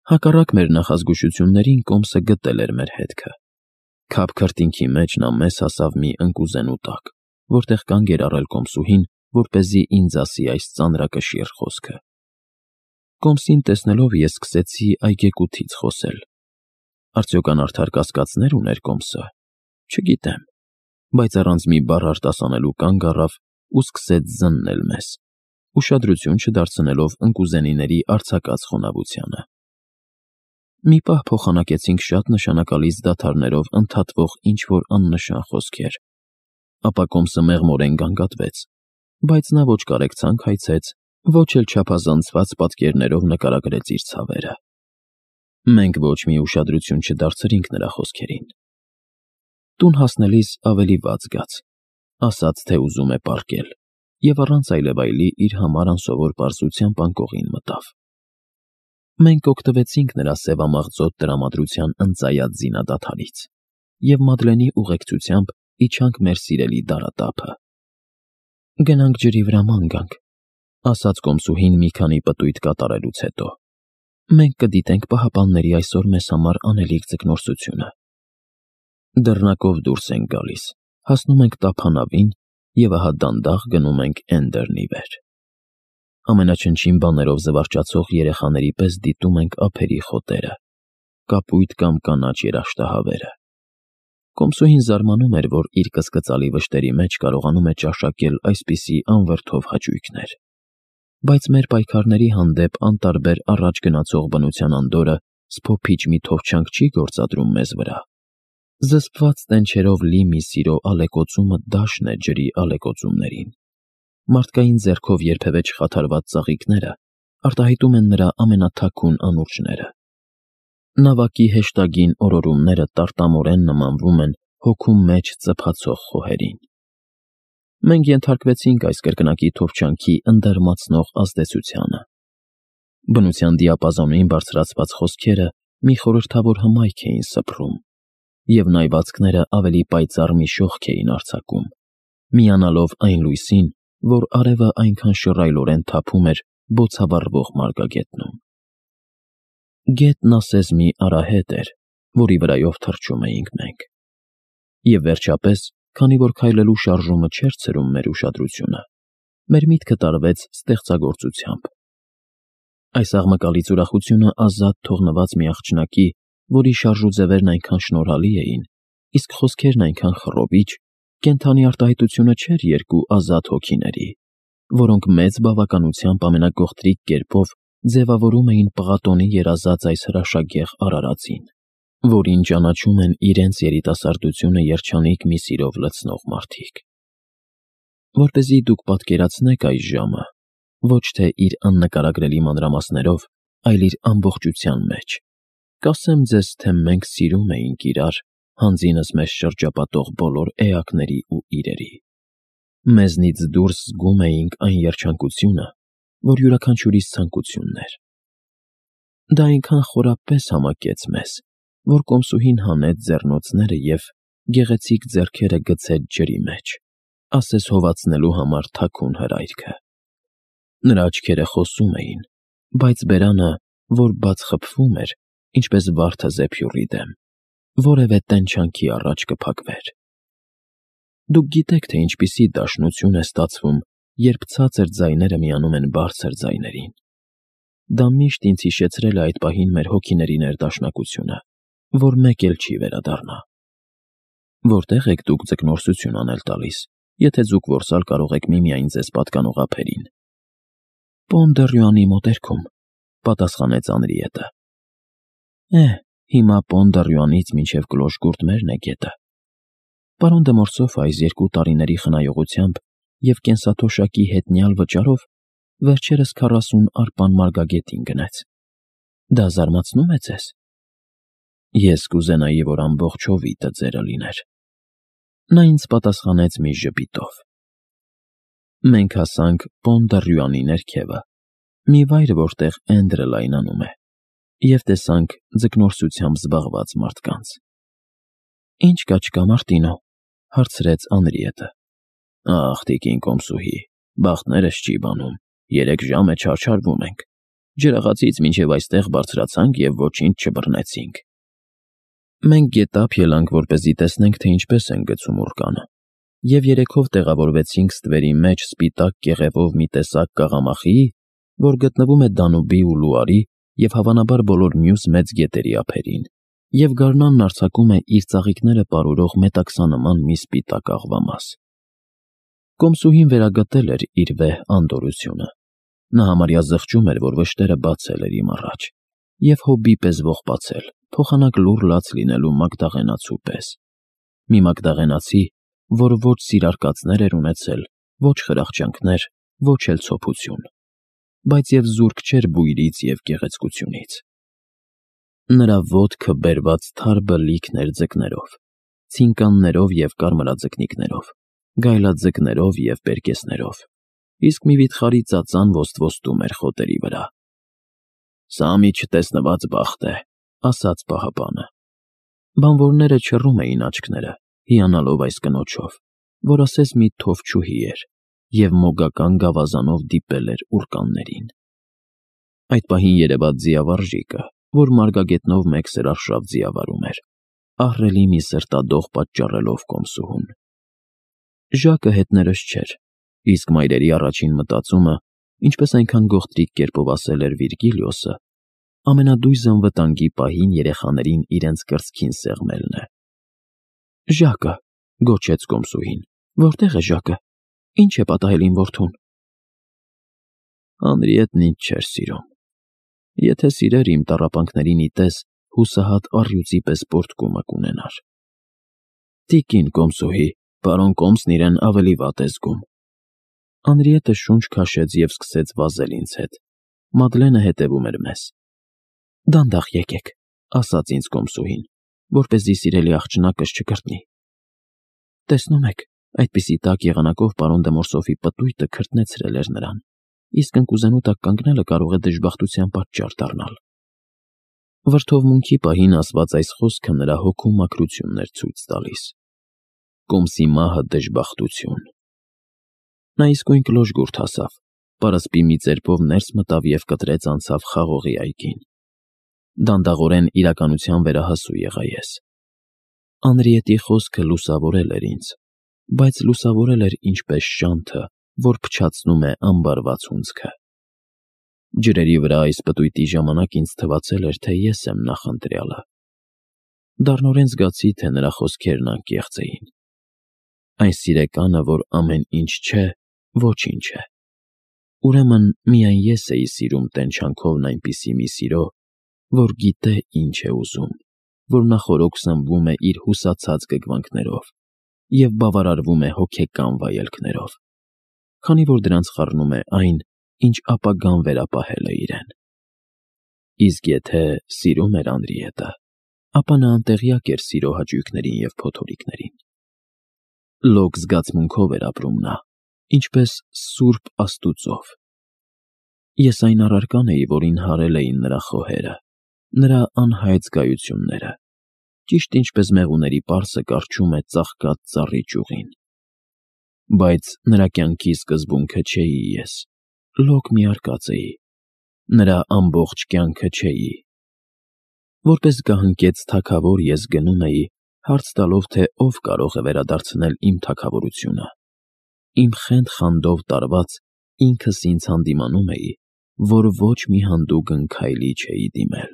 Հակառակ մեր նախազգուշություններին կոմսը գտել էր մեր հետքը։ Քափ քրտինքի մեջ նա մեզ հասավ մի ընկուզենու տակ, որտեղ կանգ էր առել կոմսուհին, որպեսզի ինձ ասի այս ծանրակշիռ խոսքը։ Կոմսին տեսնելով ես սկսեցի այգեկութից խոսել։ Արդյոք անարդար կասկածներ ուներ կոմսը։ Չգիտեմ, բայց առանց մի բառ արտասանելու կանգ առավ ու սկսեց զննել մեզ, ուշադրություն չդարձնելով ընկուզենիների արձակած խոնավությանը։ Մի պահ փոխանակեցինք շատ նշանակալից դադարներով ընդհատվող ինչ-որ աննշան խոսքեր, ապա կոմսը մեղմորեն գանգատվեց, բայց նա ոչ կարեկցանք հայցեց, ոչ էլ չափազանցված պատկերներով նկարագրեց իր ցավերը։ Մենք ոչ մի ուշադրություն չդարձրինք նրա խոսքերին։ Տուն հասնելիս ավելի վատ զգաց, ասաց, թե ուզում է պառկել, և առանց այլևայլի իր համար անսովոր պարզությամբ անկողին մտավ։ Մենք օգտվեցինք նրա սևամաղձոտ տրամադրության ընծայած զինադադարից և Մադլենի ուղեկցությամբ իջանք մեր սիրելի դարատափը։ «Գնանք ջրի վրա ման գանք», ասաց կոմսուհին մի քանի պտույտ կատարելուց հետո։ «Մենք կդիտենք պահապանների այսօր մեզ համար անելիք ձկնորսությունը»։ Դռնակով դուրս ենք գալիս, հասնում ենք տափանավին և ահա դանդաղ գնում ենք Էնդերնի վեր։ Ամենաչնչին բաներով զվարճացող երեխաների պես դիտում ենք ափերի խոտերը, կապույտ կամ կանաչ երաշտահավերը։ Կոմսուհին զարմանում էր, որ իր կսկծալի վշտերի մեջ կարողանում է ճաշակել այսպիսի անվրդով հաճույքներ, բայց մեր պայքարների հանդեպ անտարբեր առաջ գնացող բնության անդորրը սփոփիչ մի թովչանք չի գործադրում մեզ վրա։ Զսպված տենչերով լի մի սիրո ալեկոծումը դաշն է ջրի ալեկոծումներին։ Մարդկային ձեռքով երբևէ չխաթարված ծաղիկները արտահայտում են նրա ամենաթաքուն անուրջները։ Նավակի հեշտագին օրորումները տարտամորեն նմանվում են հոգու մեջ ծփացող խոհերին։ Մենք ենթարկվեցինք այս կրկնակի թովչանքի ընդերմացնող ազդեցությանը։ Բնության դիապազոնին բարձրացված խոսքերը մի խորհրդավոր հմայք էին սփռում, և նայվածքները ավելի պայծառ մի շողք էին արձակում, միանալով այն լույսին, որ արևը այնքան շռայլորեն թափում էր բոցավառվող մարգագետնում։ Գետն ասես մի արահետ էր, որի վրայով թռչում էինք մենք։ Եվ վերջապես, քանի որ քայլելու շարժումը չէր ցրում մեր ուշադրությունը, մեր միտքը տարվեց ստեղծագործությամբ։ Այս աղմկալից ուրախությունը ազատ թողնված մի աղջնակի, որի շարժուձևերն այնքան շնորհալի էին, իսկ խոսքերն այնքան խռովիչ, կենդանի արտահայտությունը չէր երկու ազատ հոգիների, որոնք մեծ բավականությամբ ամենագողտրիկ կերպով ձևավորում էին պղատոնի երազած այս հրաշագեղ արարածին, որին ճանաչում են իրենց երիտասարդությունը երջանիկ մի սիրով լցնող մարդիկ։ Որպեսզի դուք պատկերացնեք այս ժամը, ոչ թե իր աննկարագրելի մանրամասներով, այլ իր ամբողջության մեջ, կասեմ ձեզ, թե մենք սիրում էինք իրար հանձինս մեզ շրջապատող բոլոր էակների ու իրերի։ Մեզնից դուրս զգում էինք այն երջանկությունը, որ յուրաքանչյուրիս ցանկությունն էր։ Դա այնքան խորապես համակեց մեզ, որ կոմսուհին հանեց ձեռնոցները և գեղեցիկ ձեռքերը գցեց ջրի մեջ, ասես հովացնելու համար թաքուն հրայքը։ Նրա աչքերը խոսում էին, բայց բերանը, որ բաց խփվում էր, ինչպես վարդը զեփյուռի դեմ, որևէ տենչանքի առաջ կփակվեր։ Դուք գիտեք, թե ինչպիսի դաշնություն է ստացվում, երբ ցածր ձայները միանում են բարձր ձայներին։ Դա միշտ ինձ հիշեցրել է այդ պահին մեր հոգիների ներդաշնակությունը, որ մեկ էլ չի վերադառնա։ Որտե՞ղ եք դուք ձկնորսություն անել տալիս, եթե ձուկ որսալ կարող եք միմիայն ձեզ պատկանող ափերին։ Պոնդերյանի մոտերքում, պատասխանեց Անրիետը։ Հիմա Պոնդերյանից մինչև Կլոշգուրտմերն է գետը։ Պարոն դե Մորսոֆը այս 2 տարիների խնայողությամբ և կենսաթոշակի հետնյալ վճարով վերջերս 40 արպան մարգագետին գնեց։ Դա զարմացնում է ձեզ։ Ես կուզենայի, որ ամբողջ հովիտը ձերը լիներ։ Նա ինձ պատասխանեց մի ժպիտով։ Մենք հասանք Պոնդերյանի ներքևը, մի վայր, որտեղ Էնդրը լայնանում է, և տեսանք ձկնորսությամբ զբաղված մարդկանց։ Ինչ կա չկա, Մարտինո, հարցրեց Անրիետը։ Ախ, տիկին կոմսուհի, բախտներս չի բանում, 3 ժամ է չարչարվում ենք։ Ջրաղացից մինչև այստեղ բարձրացանք և ոչինչ չբռնեցինք։ Մենք գետափ ելանք, որպեսզի տեսնենք, թե ինչպես են գցում ուռկանը, և երեքով տեղավորվեցինք ստվերի մեջ սպիտակ կեղևով մի տեսակ կաղամախիի, որ գտնվում է Դանուբի ու Լուարի և հավանաբար բոլոր մյուս մեծ գետերի ափերին, և գարնանն արձակում է իր ծաղիկները պարուրող մետաքսանման մի սպիտակ աղվամաս։ Կոմսուհին վերագտել էր իր վեհ անդորրությունը։ Նա համարյա զղջում էր, որ վշտերը բացել էր իմ առաջ, և հոբի պես ողբացել, փոխանակ լուռ լաց լինելու մագդաղենացու պես։ Մի մագդաղենացի, որ ոչ սիրարկածներ էր ունեցել, ոչ խրախճանքներ, ոչ էլ ցոփություն, բայց և զուրկ չէր բույրից և գեղեցկությունից։ Նրա ոտքը բերված թարբը լիքն էր ձկներով, ցինկաններով և կարմրաձկնիկներով, գայլաձկներով և պերկեսներով, իսկ մի վիթխարի ծածան ոստվոստում էր խոտերի վրա։ «Սա մի չտեսնված բախտ է», ասաց պահապանը։ Բանվորները չռում էին աչքները, հիանալով այս կնոջով, որ ասես մի թովչուհի էր և մոգական գավազանով դիպել էր ուռկաններին։ Այդ պահին երևաց ձիավարժիկը, որ մարգագետնով մեկ սրարշավ ձիավարում էր, ահռելի մի սրտադող պատճառելով կոմսուհուն։ Ժակը հետներս չէր, իսկ մայրերի առաջին մտածումը, ինչպես այնքան գողտրիկ կերպով ասել էր Վիրգիլիոսը, ամենադույզն վտանգի պահին երեխաներին իրենց կրծքին սեղմելն է։ «Ժակը», գոչեց կոմսուհին, «որտե՞ղ է Ժակը, ինչ է պատահել իմ որդուն»։ Անրիետն ինձ չէր սիրում։ Եթե սիրեր, իմ տառապանքներին ի տես հուսահատ առյուծի պես պոռթկումը կունենար։ Տիկին կոմսուհի, պարոն Կոմսն իրեն ավելի վատ է զգում։ Անրիետը շունչ քաշեց և սկսեց վազել ինձ հետ։ Մադլենը հետևում էր մեզ։ «Դանդաղ եկեք», ասաց ինձ կոմսուհին, որպեսզի սիրելի աղջնակս չգրտնի։ Տեսնում եք, այդպիսի տաք եղանակով պարոն դե Մորսոֆի պտույտը քրտնեցրել էր նրան, իսկ ընկուզենու տակ կանգնելը կարող է դժբախտության պատճառ դառնալ։ Վրդովմունքի պահին ասված այս խոսքը նրա հոգու մաքրությունն էր ցույց տալիս։ Կոմսի մահը դժբախտություն։ Նա իսկույն կլոժգուրդ հասավ, պարսպի մի ծերպով ներս մտավ և կտրեց անցավ խաղողի այգին։ Դանդաղորեն իրականության վերահասու եղա ես։ Անրիետի խոսքը լուսավորել էր ինձ, բայց լուսավորել էր ինչպես շանթը, որ փչացնում է ամբարված հունձքը։ Ջրերի վրա այս պտույտի ժամանակ ինձ թվացել էր, թե ես եմ նախընտրյալը։ Դառնորեն զգացի, թե նրա խոսքերն անկեղծ էին։ Այն սիրեկանը, որ ամեն ինչ չէ, ոչինչ է։ Ուրեմն միայն ես էի սիրում տենչանքովն այնպիսի մի սիրո, որ գիտե ինչ է ուզում, որ նախօրոք սնվում է իր հուսացած գգվանքներով և բավարարվում է հոգեկան վայելքներով, քանի որ դրանց խառնում է այն, ինչ ապագան վերապահել է իրեն։ Իսկ եթե սիրում էր Անրիետը, ապա նա անտեղյակ էր սիրո հաճույքներին և փոթորիկներին։ Լոկ զգացմունքով էր ապրում նա, ինչպես սուրբ Աստուծով։ Ես այն առարկան էի, որին հարել էին նրա խոհերը, նրա անհայտ զգայությունները, ճիշտ ինչպես մեղուների պարսը կառչում է ծաղկած ծառի ճյուղին։ Բայց նրա կյանքի սկզբունքը չէի ես, լոկ մի արկած էի, նրա ամբողջ կյանքը չէի։ Որպես գահընկեց թագավոր ես գնում էի, հարց տալով, թե ով կարող է վերադարձնել իմ թագավորությունը։ Իմ խենթ-խանդով տարված ինքս ինձ հանդիմանում էի, որ ոչ մի հանդուգն քայլի չէի դիմել։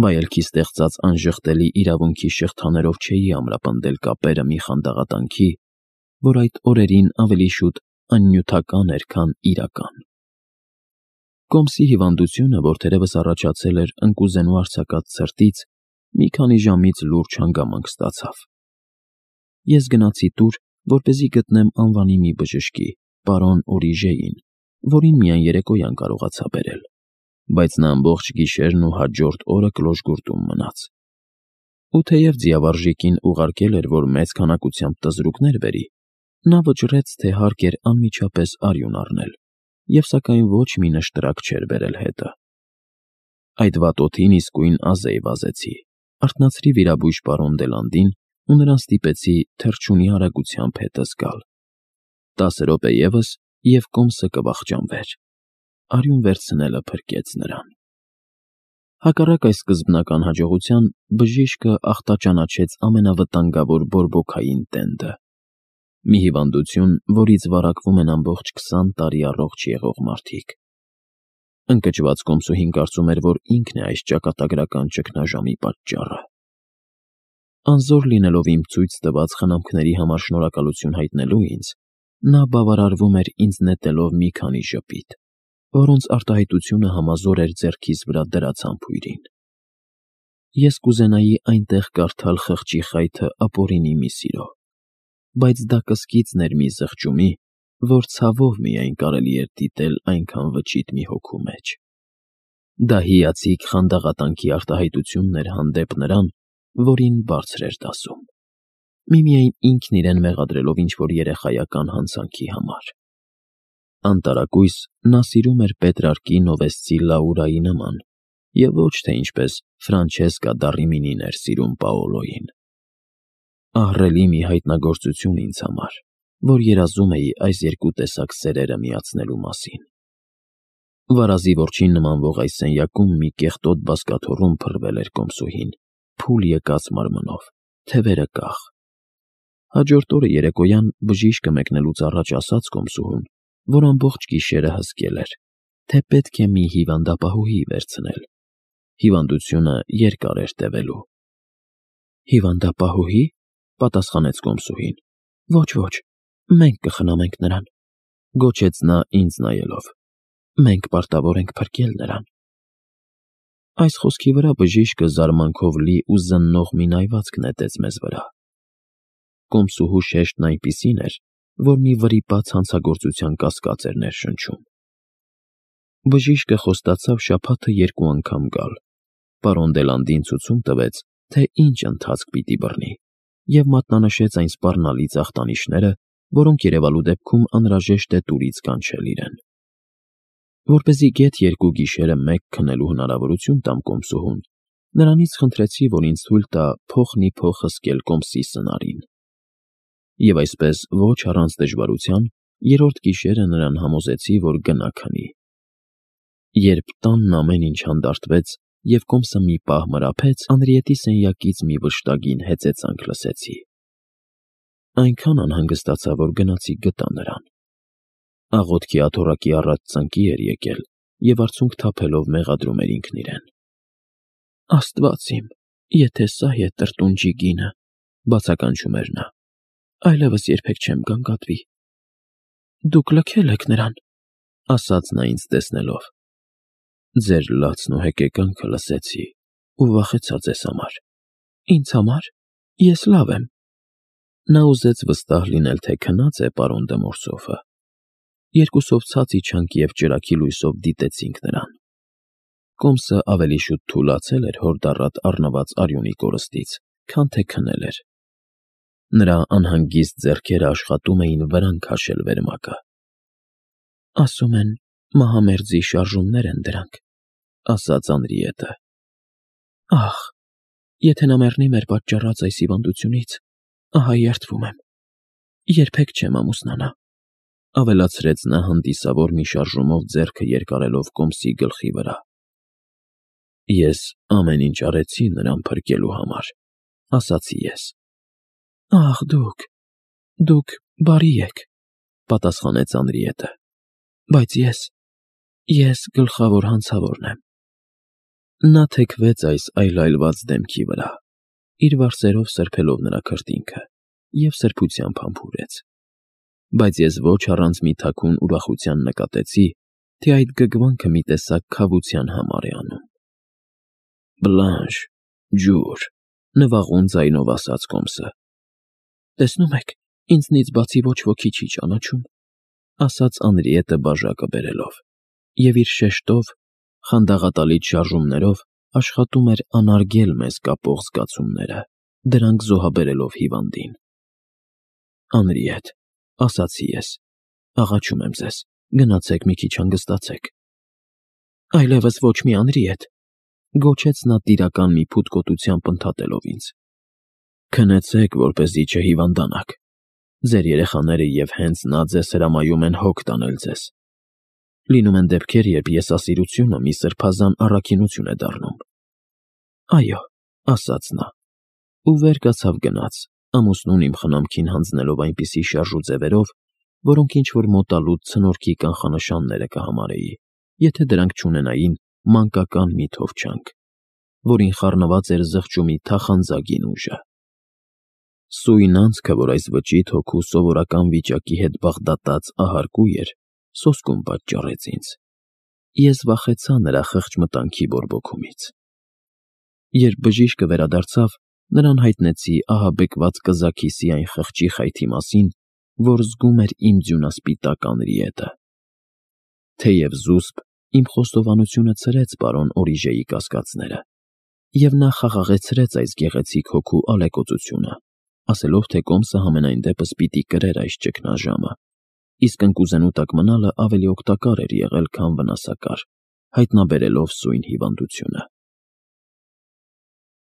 Վայելքի ստեղծած անժխտելի իրավունքի շղթաներով չէի ամրապնդել կապերը մի խանդաղատանքի, որ այդ օրերին ավելի շուտ աննյութական էր, քան իրական։ Կոմսի հիվանդությունը, որ թերևս առաջացել էր ընկուզենու արձակած ցրտից, մի քանի ժամից լուրջ հանգամանք ստացավ։ Ես գնացի տուր, որպեսզի գտնեմ անվանի մի բժշկի, պարոն Օրիժեին, որին միայն երեկոյան կարողացա բերել, բայց նա ամբողջ գիշերն ու հաջորդ օրը կլոժգուրդում մնաց։ Ու թեև ձիավարժիկին ուղարկել էր, որ մեծ քանակությամբ տզրուկներ բերի, նա վճռեց, թե հարկ էր անմիջապես արյուն առնել, և սակայն ոչ մի նշտրակ չէր բերել հետը։ Այդ վատ օդին իսկույն ազեյ վազեցի, արթնացրի վիրաբույժ պարոն Դելանդին ու նրան ստիպեցի թռչունի արագությամբ հետս գալ։ 10 րոպե ևս, և Կոմսը կվախճանվեր։ արյուն վերցնելը փրկեց նրան։ Հակառակ այս սկզբնական հաջողության, բժիշկը ախտաճանաչեց ամենավտանգավոր բորբոքային տենդը։ Մի հիվանդություն, որից վարակվում են ամբողջ 20 տարի առողջ եղող մարդիկ։ Ընկճված կոմսուհին կարծում էր, որ ինքն է այս ճակատագրական ճգնաժամի պատճառը։ Անզոր լինելով իմ ցույց տված խնամքների համար շնորհակալություն հայտնելու ինձ, նա բավարարվում էր ինձ նետելով մի քանի ժպիտ, որոնց արտահայտությունը համազոր էր ձեռքիս վրա դրած համբույրին։ Ես կուզենայի այնտեղ կարդալ խղճի խայթը ապօրինի մի սիրո, բայց դա կսկիծն էր մի զղջումի, որ ցավով միայն կարելի էր դիտել այնքան վճիտ մի հոգու մեջ։ Դա հիացիկ խանդաղատանքի արտահայտությունն էր հանդեպ նրան, որին բարձր էր դասում, միմիայն ինքն իրեն մեղադրելով ինչ-որ երեխայական հանցանքի համար։ Անտարակույս նա սիրում էր Պետրարկի Նովեսցի Լաուրայի նման, և ոչ թե ինչպես Ֆրանչեսկա դա Ռիմինին էր սիրում Պաոլոյին։ Ահռելի մի հայտնագործություն ինձ համար, որ երազում էի այս երկու տեսակ սերերը միացնելու մասին։ Վարազի որջին նմանվող այս սենյակում մի կեղտոտ բազկաթոռում փռվել էր կոմսուհին, փուլ եկած մարմնով, թևերը կախ։ Հաջորդ օրը երեկոյան բժիշկը մեկնելուց առաջ ասաց կոմսուհուն, որ ամբողջ գիշերը հսկել էր, թե պետք է մի հիվանդապահուհի վերցնել։ Հիվանդությունը երկար էր տևելու։ Հիվանդապահուհի, պատասխանեց կոմսուհին։ Ոչ, մենք կխնամենք նրան, գոչեց նա ինձ նայելով։ Մենք պարտավոր ենք փրկել նրան։ Այս խոսքի վրա բժիշկը զարմանքով լի ու զննող մի նայվածք նետեց մեզ վրա։ Կոմսուհու շեշտն այնպիսին էր, որ մի վրիպած հանցագործության կասկած էր ներշնչում։ Բժիշկը խոստացավ շաբաթը 2 անգամ գալ, պարոն Դելանդին ցուցում տվեց, թե ինչ ընթացք պիտի բռնի, և մատնանշեց այն սպառնալի ծախտանիշները, որոնք երևալու դեպքում անհրաժեշտ է տուրից կանչել իրեն։ Որպեսզի գեթ 2 գիշերը մեկ քնելու հնարավորություն տամ կոմսուհուն, նրանից խնդրեցի, որ ինձ թույլ տա փոխ հսկել կոմսի սնարին։ Եվ այսպես ոչ առանց դժվարության, երրորդ գիշերը նրան համոզեցի, որ գնա քնի։ Երբ տանն ամեն ինչ հանդարտվեց և կոմսը մի պահ մրափեց, Անրիետի սենյակից մի վշտագին հեծեծանք լսեցի։ Այնքան անհանգստացա, որ գնացի գտա նրան։ Աղոթքի աթոռակի առաջ ծնկի էր եկել և արցունք թափելով մեղադրում էր ինքն իրեն։ Աստված իմ, եթե սա է տրտունջի գինը, բացականչում էր նա, այլևս երբեք չեմ գանգատվի։ Դուք լքել եք նրան, ասաց նա ինձ տեսնելով։ Ձեր լացն ու հեկեկանքը լսեցի ու վախեցա ձեզ համար։ Ինձ համար։ Ես լավ եմ։ Նա ուզեց վստահ լինել, թե քնած է պարոն դը Մորսոֆը։ Երկուսով ցած իջանք և ճրագի լույսով դիտեցինք նրան։ Կոմսը ավելի շուտ թուլացել էր հորդառատ առնված արյունի կորստից, քան թե քնել էր։ Նրա անհանգիստ ձեռքերը աշխատում էին վրան քաշել վերմակը։ Ասում են, մահամերձի շարժումներ են դրանք, ասաց Անրիետը։ Ահ, եթե նա մեռնի մեր պատճառած այս հիվանդությունից, ահա երդվում եմ։ Երբեք չեմ ամուսնանա, ավելացրեց նա հանդիսավոր մի շարժումով ձեռքը երկարելով կոմսի գլխի վրա։ Ես ամեն ինչ արեցի նրան փրկելու համար, ասացի ես։ Ահ, դուք բարի եք, պատասխանեց Անրիետը, բայց ես գլխավոր հանցավորն եմ։ Նա թեքվեց այս այլայլված դեմքի վրա, իր վարսերով սրբելով նրա քրտինքը, և սրբությամբ համբուրեց։ Բայց ես ոչ առանց մի թաքուն ուրախության նկատեցի, թե այդ գգվանքը մի տեսակ քավության համար է անում։ Բլանշ, ջուր, նվաղուն ձայնով ասաց կոմսը։ Տեսնում եք, ինձնից բացի ոչ ոքի չի ճանաչում, ասաց Անրիետը բաժակը բերելով, և իր շեշտով, խանդաղատալից շարժումներով աշխատում էր անարգել մեզ կապող զգացումները, դրանք զոհաբերելով հիվանդին։ Անրիետ, ասացի ես, աղաչում եմ ձեզ, գնացեք մի քիչ հանգստացեք։ Այլևս ոչ մի Անրիետ, գոչեց նա տիրական մի փութկոտությամբ ընդհատելով ինձ։ Քնեցեք, որպեսզի չհիվանդանաք։ Ձեր երեխաները և հենց նա ձեզ հրամայում են հոգ տանել ձեզ։ Լինում են դեպքեր, երբ եսասիրությունը մի սրբազան առաքինություն է դառնում։ Այո, ասաց նա, ու վեր կացավ գնաց, ամուսնուն իմ խնամքին հանձնելով այնպիսի շարժու ձևերով, որոնք ինչ-որ մոտալուտ ցնորքի կանխանշանները կհամարեի, եթե դրանք չունենային մանկական մի թովչանք, որին խառնված էր զղջումի թախանձագին ուժը։ Սույն անցքը, որ այս վճիտ հոգու սովորական վիճակի հետ բաղդատած ահարկու էր, սոսկում պատճառեց ինձ։ Ես վախեցա նրա խղճ մտանքի բորբոքումից։ Երբ բժիշկը վերադարձավ, նրան հայտնեցի ահաբեկված կզաքիսի այն խղճի խայթի մասին, որ զգում էր իմ ձյունասպիտակ անրիետը։ Թեև զուսպ, իմ խոստովանությունը ցրեց պարոն Օրիժեի կասկածները, և նա խաղաղեցրեց այս գեղեցիկ հոգու ալեկոծությունը, ասելով, թե կոմսը համենայն դեպս պիտի կրեր այս ճգնաժամը, իսկ ընկուզենու տակ մնալը ավելի օգտակար էր եղել, քան վնասակար, հայտնաբերելով սույն հիվանդությունը։